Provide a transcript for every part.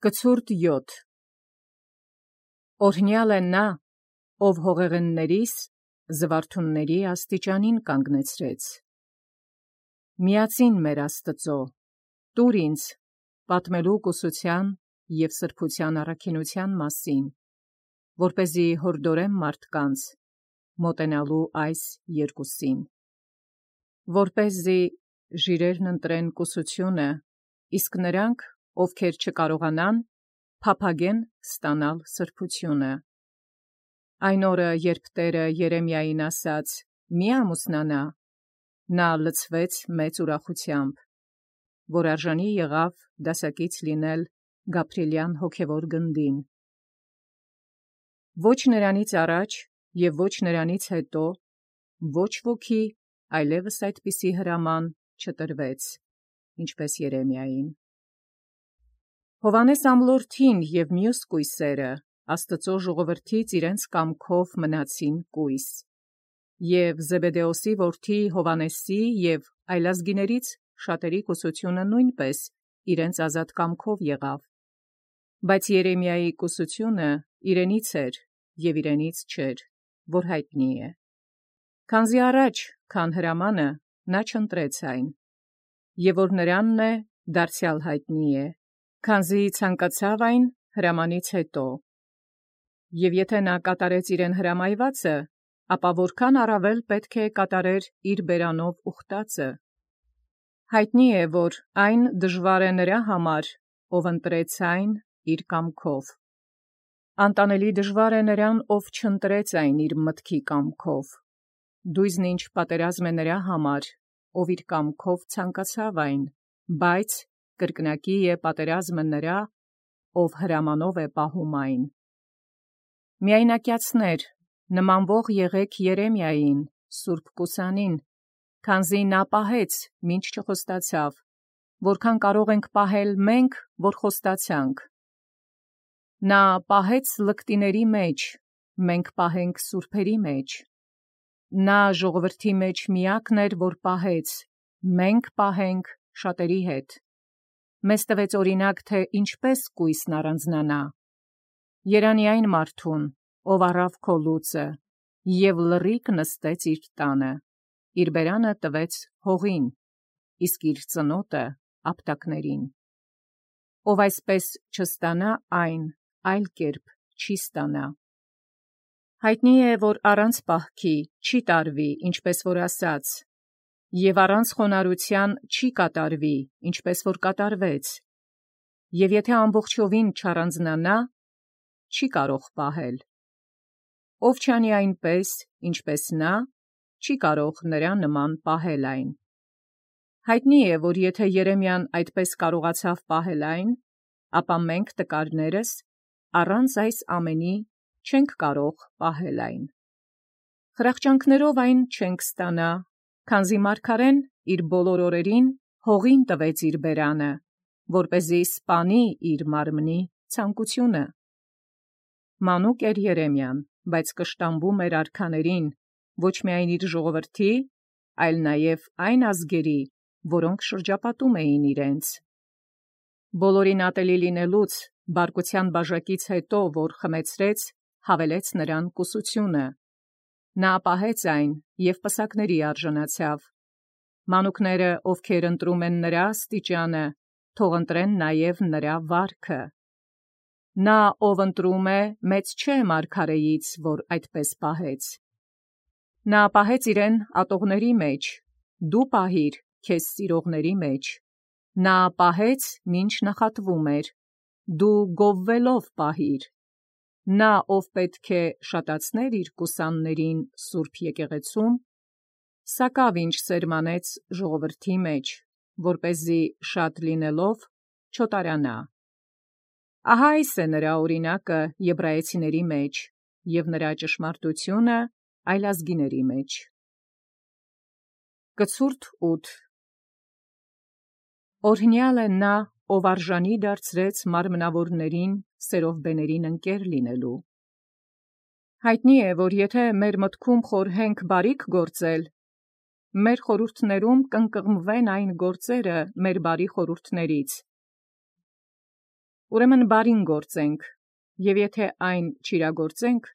Կցուրդ 7 Օրհնյալ է նա, ով հողեղեններիս զվարթունների աստիճանին կանգնեցրեց։ Միածին մեր Աստծո, տուր ինձ պատմելու կուսության և սրբության առաքինության մասին, որպեսզի հորդորեմ մարդկանց մոտենալու այս երկուսին, որպեսզի ժիրերն ընտրեն կուսությունը, իսկ նրանք, ովքեր չկարողանան, փափագեն ստանալ սրբությունը։ Այն օրը, երբ Տերը Երեմիային ասաց. «Մի ամուսնանա», նա լցվեց մեծ ուրախությամբ, որ արժանի եղավ դասակից լինել Գաբրիելյան հոգևոր գնդին։ Ոչ նրանից առաջ և ոչ նրանից հետո ոչ ոքի այլևս այդպիսի հրաման չտրվեց, ինչպես Երեմիային։ Հովհաննես ամլորդին և մյուս կույսերը Աստծո ժողովրդից իրենց կամքով մնացին կույս, և Զեբեդեոսի որդի Հովհաննեսի և այլազգիներից շատերի կուսությունը նույնպես իրենց ազատ կամքով եղավ, բայց Երեմիայի կուսությունը իրենից էր և իրենից չէր, որ հայտնի է։ Քանզի առաջ, քան հրամանը, նա չընտրեց այն, և որ նրանն է, դարձյալ հայտնի է, քանզի ցանկացավ այն հրամանից հետո։ Եվ եթե նա կատարեց իրեն հրամայվածը, ապա որքան առավել պետք է կատարեր իր բերանով ուխտածը։ Հայտնի է, որ այն դժվար է նրա համար, ով ընտրեց այն իր կամքով։ Անտանելի դժվար է նրան, ով չընտրեց այն իր մտքի կամքով։ Դույզն ինչ պատերազմ է նրա համար, ով իր կամքով ցանկացավ այն, բայց կրկնակի է պատերազմը նրա, ով հրամանով է պահում այն։ Միայնակյացներ, նմանվող եղեք Երեմիային, սուրբ կուսանին, քանզի նա պահեց, մինչ չխոստացավ, որքան կարող ենք պահել մենք, որ խոստացանք։ Նա պահեց լկտիների մեջ, մենք պահենք սուրբերի մեջ։ Նա ժողովրդի մեջ միակն էր, որ պահեց, մենք պահենք շատերի հետ։ Մեզ տվեց օրինակ, թե ինչպես կույսն առանձնանա։ Երանի այն մարդուն, ով առավ քո լուծը, և լռիկ նստեց իր տանը, իր բերանը տվեց հողին, իսկ իր ծնոտը ապտակներին։ Ով այսպես չստանա այն, այլ կերպ չի ստանա։ Հայտնի է, որ առանց պահքի չի տարվի, ինչպես որ ասաց, և առանց խոնարհության չի կատարվի, ինչպես որ կատարվեց, և եթե ամբողջովին չառանձնանա, չի կարող պահել։ Ով չանի այնպես, ինչպես նա, չի կարող նրա նման պահել այն։ Հայտնի է, որ եթե Երեմիան այդպես կարողացավ պահել այն, ապա մենք տկարներս առանց այս ամենի չենք կարող պահել այն։ Խրախճանքներով այն չենք ստանա, քանզի մարգարեն իր բոլոր օրերին հողին տվեց իր բերանը, որպեսզի սպանի իր մարմնի ցանկությունը։ Մանուկ էր Երեմիան, բայց կշտամբում էր արքաներին, ոչ միայն իր ժողովրդի, այլ նաև այն ազգերի, որոնք շրջապատում էին իրենց։ Բոլորին ատելի լինելուց, բարկության բաժակից հետո, որ խմեցրեց, հավելեց նրան կուսությունը։ Նա պահեց այն և պսակների արժանացավ։ Մանուկները, ովքեր ընտրում են նրա աստիճանը, թող ընտրեն նաև նրա վարքը։ Նա, ով ընտրում է, մեծ չէ մարգարեից, որ այդպես պահեց։ Նա պահեց իրեն ատողների մեջ, դու պահիր քեզ սիրողների մեջ։ Նա պահեց, մինչ նախատվում էր, դու գովվելով պահիր։ Նա, ով պետք է շատացներ իր կուսաններին սուրբ եկեղեցում, սակավ ինչ սերմանեց ժողովրդի մեջ, որպեսզի շատ լինելով չոտարանա։ Ահա այս է նրա օրինակը եբրայեցիների մեջ և նրա ճշմարտությունը այլազգիների մեջ։ Կցուրդ 8 Օրհնյալ է նա, ով արժանի դարձրեց մարմնավորներին սերովբեներին ընկեր լինելու։ Հայտնի է, որ եթե մեր մտքում խորհենք բարիք գործել, մեր խորհուրդներում կընկղմվեն այն գործերը մեր բարի խորհուրդներից։ Ուրեմն բարին գործենք, և եթե այն չիրագործենք,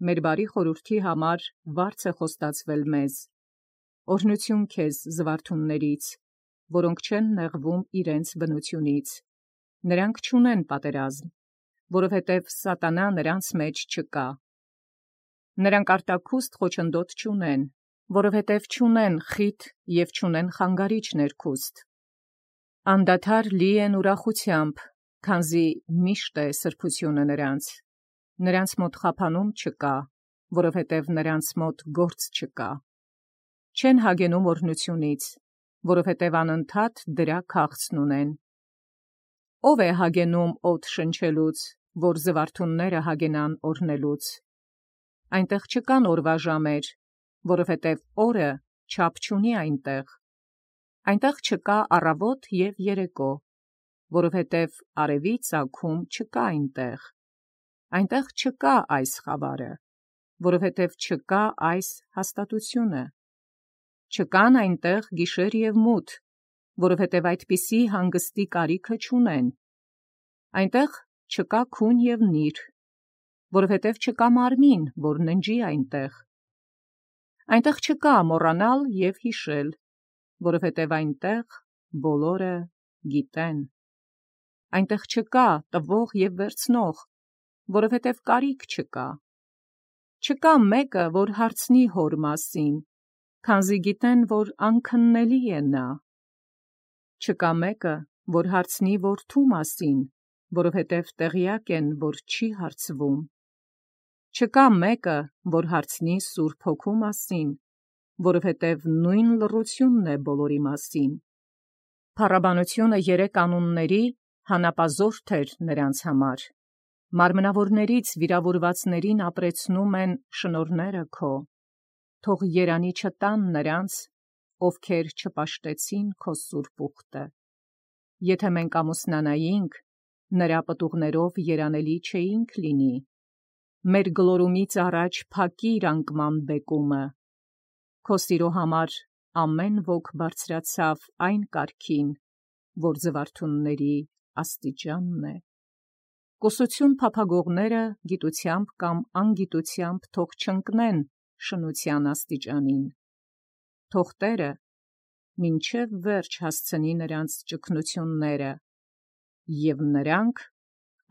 մեր բարի խորհրդի համար վարձ է խոստացվել մեզ։ Օրհնություն քեզ զվարթուններից, որոնք չեն նեղվում իրենց բնությունից. նրանք չունեն պատերազմ, որովհետև սատանա նրանց մեջ չկա։ Նրանք արտաքուստ խոչընդոտ չունեն, որովհետև չունեն խիտ և չունեն խանգարիչ ներքուստ։ Անդադար լի են ուրախությամբ, քանզի միշտ է սրբությունը նրանց։ Նրանց մոտ խափանում չկա, որովհետև նրանց մոտ գործ չկա։ Չեն հագենում օրհնությունից, որովհետև անընդհատ դրա քաղցն ունեն։ Ո՞վ է հագենում օդ շնչելուց, որ զվարթունները հագենան օրհնելուց։ Այնտեղ չկան օրվա ժամեր, որովհետև օրը չափ չունի այնտեղ։ Այնտեղ չկա առավոտ և երեկո, որովհետև արևի ծագում չկա այնտեղ։ Այնտեղ չկա այս խավարը, որովհետև չկա այս հաստատությունը։ Չկան այնտեղ գիշեր և մութ, որովհետև այդպիսի հանգստի կարիքը չունեն։ Այնտեղ չկա քուն և նիր, որովհետև չկա մարմին, որ ննջի այնտեղ։ Այնտեղ չկա մոռանալ և հիշել, որովհետև այնտեղ բոլորը գիտեն։ Այնտեղ չկա տվող և վերցնող, որովհետև կարիք չկա։ Չկա մեկը, որ հարցնի հոր մասին, քանզի գիտեն, որ անքննելի է նա։ Չկա մեկը, որ հարցնի որդու մասին, որովհետև տեղյակ են, որ չի հարցվում։ Չկա մեկը, որ հարցնի Սուրբ Հոգու մասին, որովհետև նույն լռությունն է բոլորի մասին։ Փառաբանությունը երեք անունների հանապազորդ էր նրանց համար։ Մարմնավորներից վիրավորվածներին ապրեցնում են շնորհները քո։ Թող երանի չտան նրանց, ովքեր չպաշտեցին քո սուրբ ուխտը։ Եթե մենք ամուսնանայինք, նրա պտուղներով երանելի չէինք լինի։ Մեր գլորումից առաջ փակիր անկման բեկումը։ Քո սիրո համար ամեն ոք բարձրացավ այն կարգին, որ զվարթունների աստիճանն է։ Կուսություն փափագողները գիտությամբ կամ անգիտությամբ թող չընկնեն շնության աստիճանին։ Թող Տերը մինչև վերջ հասցնի նրանց ճգնությունները, և նրանք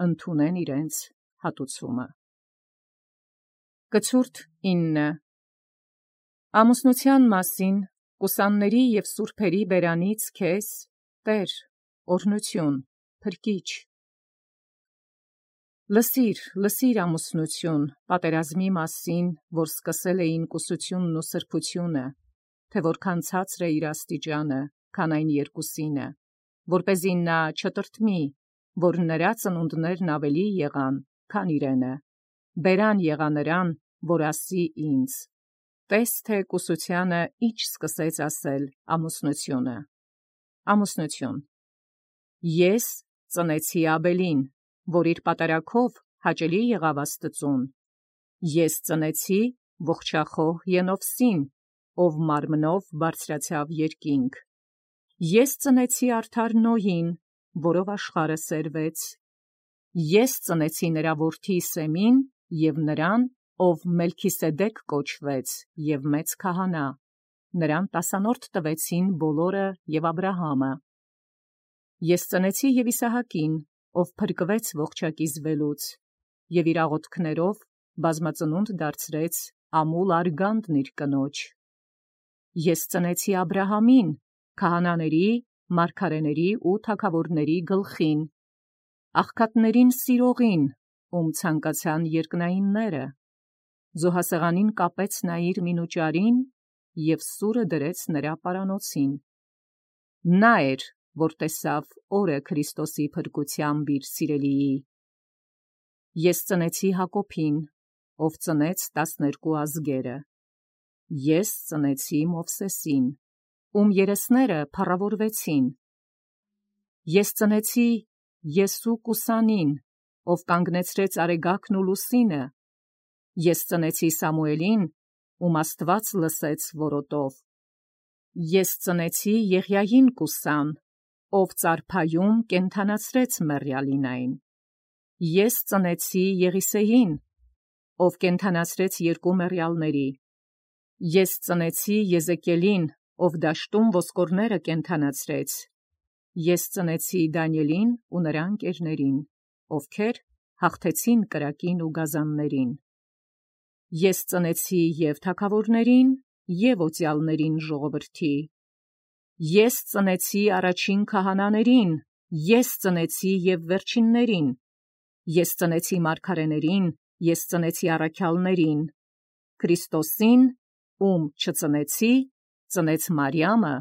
ընդունեն իրենց հատուցումը։ Կցուրդ 9. Ամուսնության մասին կուսանների և սուրբերի բերանից քեզ, Տեր, օրհնություն, փրկիչ։ Լսիր ամուսնություն, պատերազմի մասին, որ սկսել էին կուսությունն ու սրբությունը, թե որքան ցածր է իր աստիճանը, քան այն երկուսինը, որպեսզի նա չտրտմի, որ նրա ծնունդներն ավելի եղան, քան իրենը, բերան եղա նրան, որ ասի ինձ. տես թե կուսությանը ինչ սկսեց ասել ամուսնությունը։ Ամուսնություն. Ես ծնեցի Աբելին, որ իր պատարագով հաճելի եղավ Աստծուն։ Ես ծնեցի ողջախոհ Ենովսին, ով մարմնով բարձրացավ երկինք։ Ես ծնեցի արդար Նոյին, որով աշխարհը սերվեց։ Ես ծնեցի նրա որդի Սեմին և նրան, ով Մելքիսեդեկ կոչվեց և մեծ քահանա, նրան տասանորդ տվեցին բոլորը և Աբրահամը։ Ես ծնեցի և Իսահակին, ով փրկվեց ողջակիզվելուց, և իր աղոթքներով բազմածնունդ դարձրեց ամուլ արգանդն իր կնոջ։ Ես ծնեցի Աբրահամին, քահանաների, մարգարեների ու թագավորների գլխին, աղքատներին սիրողին, ում ցանկացան երկնայինները։ Զոհասեղանին կապեց նա իր մինուճարին և սուրը դրեց նրա պարանոցին։ Նա էր, որ տեսավ օրը Քրիստոսի փրկությամբ իր սիրելիի։ Ես ծնեցի Հակոբին, ով ծնեց 12 ազգերը։ Ես ծնեցի Մովսեսին, ում երեսները փառավորվեցին։ Ես ծնեցի Եսու Կուսանին, ով կանգնեցրեց արեգակն ու լուսինը։ Ես ծնեցի Սամուելին, ում Աստված լսեց որոտով։ Ես ծնեցի Եղիային Կուսան, ով ծարփայում կենդանացրեց մեռյալին այն։ Ես ծնեցի Եղիսեին, ով կենդանացրեց երկու մեռյալների։ Ես ծնեցի Եզեկիելին, ով դաշտում ոսկորները կենդանացրեց։ Ես ծնեցի Դանիելին ու նրա ընկերներին, ովքեր հաղթեցին կրակին ու գազաններին։ Ես ծնեցի և թագավորներին, և օծյալներին ժողովրդի։ Ես ծնեցի առաջին քահանաներին, ես ծնեցի և վերջիններին։ Ես ծնեցի մարգարեներին, ես ծնեցի առաքյալներին։ Քրիստոսին, ում չծնեցի, ծնեց Մարիամը,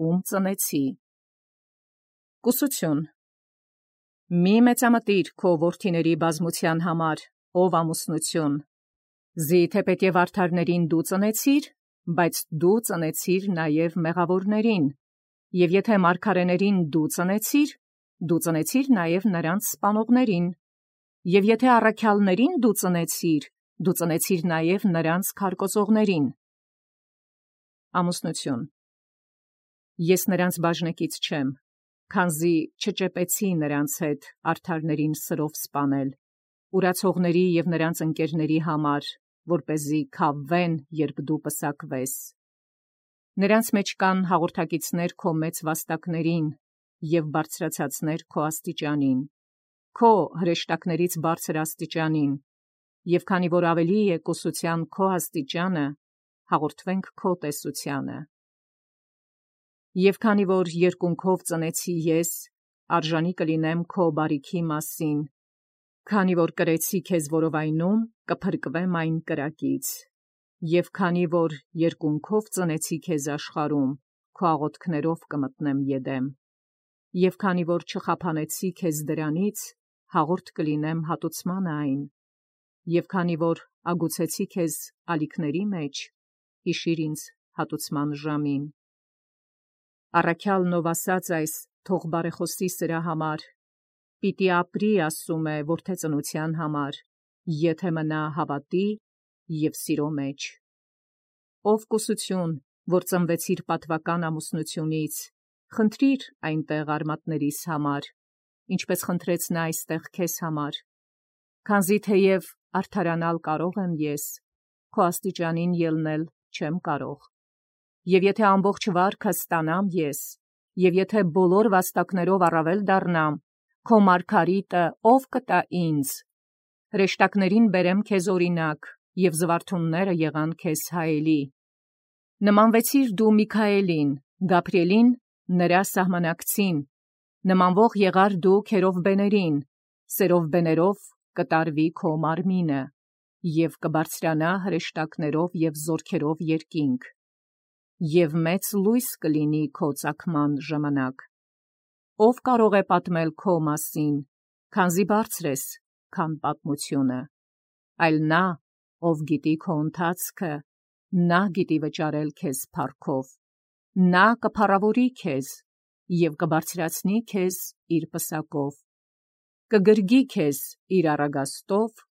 ում ծնեցի։ Կուսություն։ Մի մեծամտիր քո որդիների բազմության համար, ով ամուսնություն։ Զի թեպետև արդարներին դու ծնեցիր, բայց դու ծնեցիր նաև մեղավորներին, և եթե մարգարեներին դու ծնեցիր նաև նրանց սպանողներին, և եթե առաքյալներին դու ծնեցիր նաև նրանց քարկոծողներին։ Ամուսնություն։ Ես նրանց բաժնեկից չեմ, քանզի չճեպեցի նրանց հետ արդարներին սրով սպանել, ուրացողների և նրանց ընկերների համար, որպեսզի քավվեն, երբ դու պսակվես։ Նրանց մեջ կան հաղորդակիցներ քո մեծ վաստակներին և բարձրացածներ քո աստիճանին, քո հրեշտակներից բարձր աստիճանին, և քանի որ ավելի է կուսության քո աստիճանը, հաղորդվենք քո տեսությանը։ Եվ քանի որ երկունքով ծնեցի ես, արժանի կլինեմ քո բարիքի մասին, քանի որ կրեցի քեզ որովայնում, կփրկվեմ այն կրակից։ Եվ քանի որ երկունքով ծնեցի քեզ աշխարհում, քո աղոթքներով կմտնեմ Եդեմ։ Եվ քանի որ չխափանեցի քեզ դրանից, հաղորդ կլինեմ հատուցման այն։ Եվ քանի որ ագուցեցի քեզ ալիքների մեջ, հիշիր ինձ հատուցման ժամին։ Առաքյալն ով ասաց այս, թող բարեխոսի սրա համար, պիտի ապրի, ասում է, որդեծնության համար, եթե մնա հավատի և սիրո մեջ։ Ով կուսություն, որ ծնվեցիր պատվական ամուսնությունից, խնդրիր այնտեղ արմատներիս համար, ինչպես խնդրեց նա այստեղ քեզ համար, քանզի թեև արդարանալ կարող եմ ես, քո աստիճանին ելնել չեմ կարող։ Եվ եթե ամբողջ վարքը ստանամ ես, և եթե բոլոր վաստակներով առավել դառնամ, քո մարգարիտը ով կտա ինձ։ Հրեշտակներին բերեմ քեզ օրինակ, և զվարթունները եղան քեզ հայելի։ Նմանվեցիր դու Միքայելին, Գաբրիելին նրա սահմանակցին, նմանվող եղար դու քերովբեներին, սերովբեներով կտարվի քո մարմինը, և կբարձրանա հրեշտակներով և զորքերով երկինք, և մեծ լույս կլինի քո ծագման ժամանակ։ Ով կարող է պատմել քո մասին, քանզի բարձր ես, քան պատմությունը, այլ նա, ով գիտի քո ընթացքը, նա գիտի վճարել քեզ փառքով, նա կփառավորի քեզ և կբարձրացնի քեզ իր պսակով, կգրգի քեզ իր առագաստով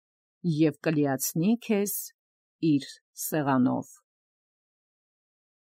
և կլիացնի քեզ իր սեղանով։